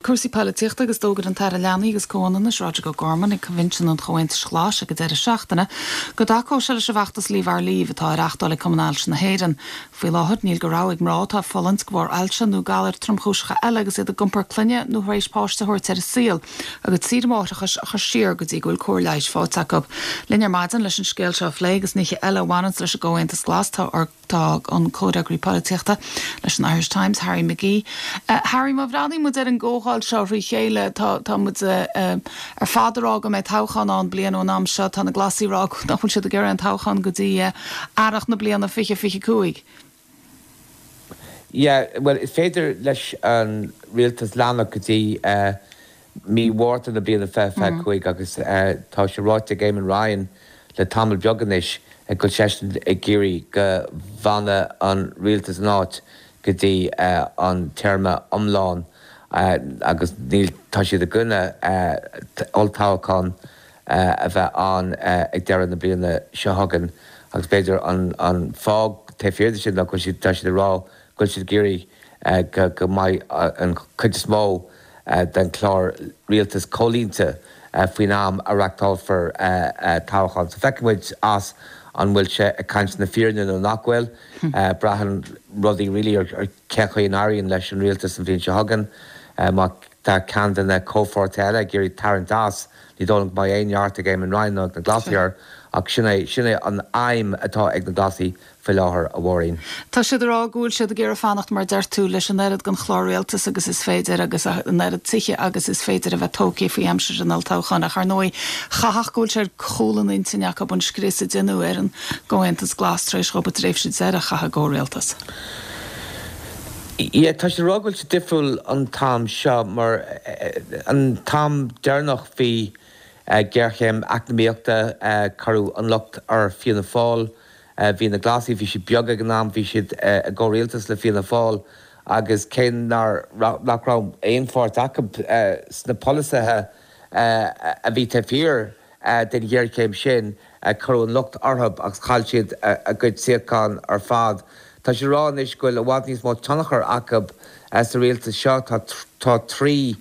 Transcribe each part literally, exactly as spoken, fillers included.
Cúrsaí polaitíochta agus d'fhógair an tAire Leanaí agus Comhionannais Roderic O'Gorman ag Coinbhinsiún an Chomhaontais Ghlais ag an deireadh seachtaine go dtacódh sé leis an bhfeachtas Leave Our Leave atá á reáchtáil ag Cumann Ailse na hÉireann. Faoi láthair níl de rogha ag mná atá ag fulaingt de bharr ailse nó galair tromchúiseacha eile agus iad ag iompar clainne nó tar éis páiste a thabhairt ar an saol a gcuid saoire máithreachais a chur siar go dtí go bhfuil cóir leighis faighte acu. Linn ar maidin leis an scéal seo a phlé agus nithe eile a bhaineann leis an gComhaontas Glas tá ar tá an comhfhreagraí polaitíochta leis an Irish Times Harry McGee. Uh, Harry má bhreathnaíonn muid ar an gcomhdháil seo thrí chéile tá tá muid uh, ar fad ag rá go mbeidh toghchán ann bliain ón am seo tá na Glasaigh ag rá nach bhfuil siad ag iarraidh an toghchán go dtí uh, earrach na bliana fiche fiche cúig. Yeah, well is féidir leis an rialtas leanacht go dtí uh, mí Mhárta na bliana fiche fiche cúig agus uh, tá sé ráite ag Eamon Ryan le tamall beag anois go bhfuil seisean ag iarraidh go bhfanadh an rialtas in áit go dtí uh, an téarma iomlán uh, agus níl tá siad i gcoinne uh, olltoghchán uh, a bheith ann uh, ag deireadh na bliana seo chugainn agus b'fhéidir an, an fáth taobh thiar de sin ná go siad tá siad ag rá go bhfuil siad ag iarraidh uh, go, go mbeidh uh, an chuid is mó uh, den chlár rialtas comhlíonta uh, faoin am a reáchtálfar uh, uh, toghchán. So feicfimid as an bhfuil sé ag caint na fírinne nó nach bhfuil uh, braitheann rudaí really ar, ar cén chaoi a n-éiríonn leis an rialtas an bhliain seo chugainn uh, má tá ceann de na comhpháirtithe eile ag iarraidh tarraingt as ní dóigh liom go mbeidh aon neart ag Eamon Ryan ná na Glasaigh ach sin é sin é an aidhm atá ag na Glasaigh faoi láthair a Mháirín. Tá siad ag rá go bhfuil siad ag iarraidh fanacht mar deir tú leis an oiread den chlár rialtas agus is féidir agus an oiread tithe agus is féidir a bheith tógtha faoi aimsir an olltoghcháin ach ar ndóigh chaithfeadh go bhfuil sé ar chúl an intinn acu an scrios a deineadh ar an gComhaontas Glas tar éis dóibh tréimhse deireadh a chaitheamh i gcomhrialtas. Ie tá sé rá go bhfuil sé difriúil an t-am seo mar an t-am deireanach bhí géarchéim eacnamaíochta cuireadh an locht ar Fianna Fáil, bhí na Glasaigh bhí siad beag ag an am bhí siad i gcomhrialtas le Fianna Fáil agus cé nach nach raibh aon pháirt acu sna polasaithe a bhí taobh thiar den ghéarchéim sin cuireadh an locht orthu agus chaill siad a gcuid suíochán ar fad. Tá sé rá anois go bhfuil i bhfad níos mó tionchar acu sa rialtas seo tá trí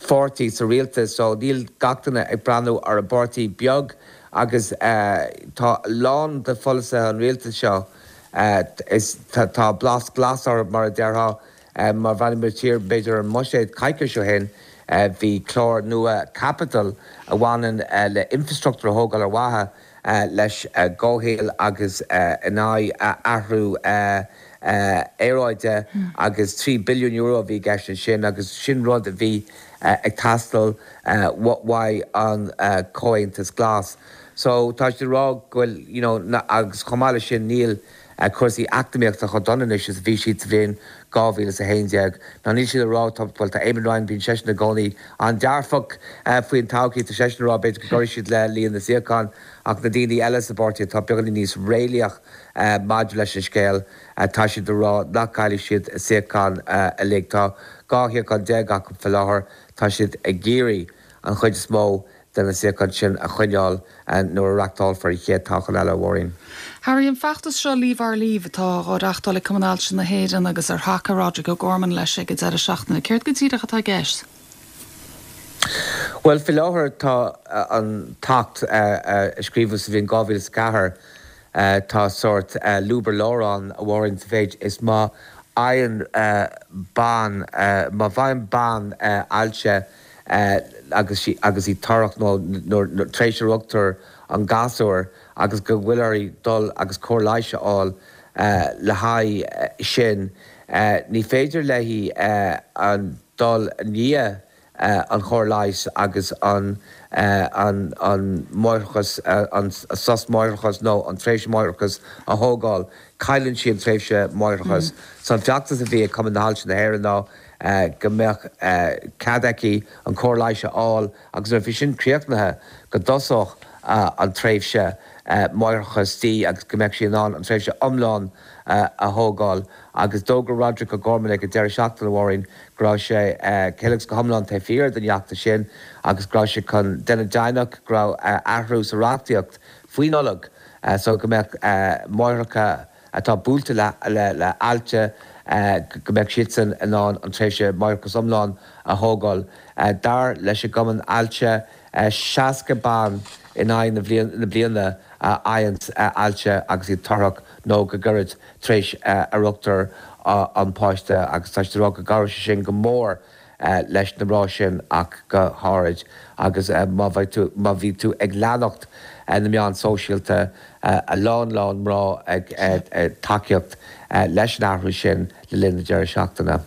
pháirtí sa rialtas so níl gach duine ag breathnú ar a bpáirtí beag agus uh, tá lán de pholasaithe an rialtas seo uh, is tá, tá blas glas ar mar a déarfá uh, mar bhí tír b'fhéidir an mbuiséad coicís ó shin uh, bhí clár nua caipitil a bhaineann uh, le infrastruchtúr a thógáil ar mhaithe uh, leis uh, comhshaol agus uh, in aghaidh uh, athrú uh, uh, aeráide mm. agus trí billiún euro bhí i gceist sin agus sin rud a bhí uh, ag teastáil uh, uaidh an uh, Comhaontas Glas. So tá sé rá go bhfuil you know, na, agus chomh maith leis sin níl uh, cúrsaí eacnamaíochta chomh dona anois is bhí siad sa bhliain dhá mhíle a haon déag. Ná níl siad rá well tá Eamon Ryan bíonn seisean i gcónaí an-dearfach uh, faoin todhchaí tá seisean rá b'fhéidir go gcuirfidh siad le líon na suíochán ach na daoine eile sa bpáirtí tá beagáinín níos réalaíoch uh, maidir leis an scéal uh, tá siad rá nach gcaillfidh siad suíochán uh, uilig tá dhá shuíochán déag acu faoi láthair tá siad ag iarraidh an chuid is mó de na suíocháin sin a choinneáil nuair a reáchtálfar an chéad toghchán eile a Mháirín. Harry an feachtas seo Leave Our Leave atá á reáchtáil ag Cumann Ailse na hÉireann agus ar thacaigh Roderic O'Gorman leis ag an deireadh seachtaine céard go díreach atá i gceist. Well faoi láthair tá an tAcht a scríobhadh sa bhliain dhá mhíle ceathair tá sórt lúb ar lár ann a Mháirín sa mhéid is má fhaigheann bean má bhfaigheann bean ailse agus sí agus í torrach nó tar éis a rugtar an gasúr agus go bhfuil uirthi dul agus cóir leighis a fháil le haghaidh sin. Ní féidir léi an dul i ndiaidh an chóir leighis agus an an an máithreachas an sos máithreachas nó an tréimhse máithreachas a thógáil, cailleann sí an tréimhse máithreachas. So an feachtas a bhí ag Cumann Ailse na hÉireann ná go mbeadh cead aici an chóir leighis a fháil agus nuair bhí sin críochnaithe go dtosódh an tréimhse máithreachas di agus go mbeadh sí in ann an tréimhse iomlán a thógáil agus d'fhógair Roderic O'Gorman ag an deireadh seachtaine a Mháirín go raibh sé go go hiomlán taobh thiar den fheachtas sin agus go raibh sé chun déanamh deimhneach go raibh athrú sa reachtaíocht faoi Nollaig so go mbeadh máithreacha atá buailte le le le ailse go mbeadh siadsan in ann an tréimhse máithreachais iomlán a thógáil. Dar leis an gCumann Ailse, seasca bean in aghaidh na bliana a fhaigheann ailse agus iad torthach nó go gairid tar éis a rugtar an páiste agus tá siad ag rá go gcabhródh sé sin go mór leis na mná sin ach go háirid agus má bheidh tú má bhí tú ag leanacht na meán sóisialta a lán lán mná ag tacaíocht leis an athrú sin le linn na deireadh seachtaine.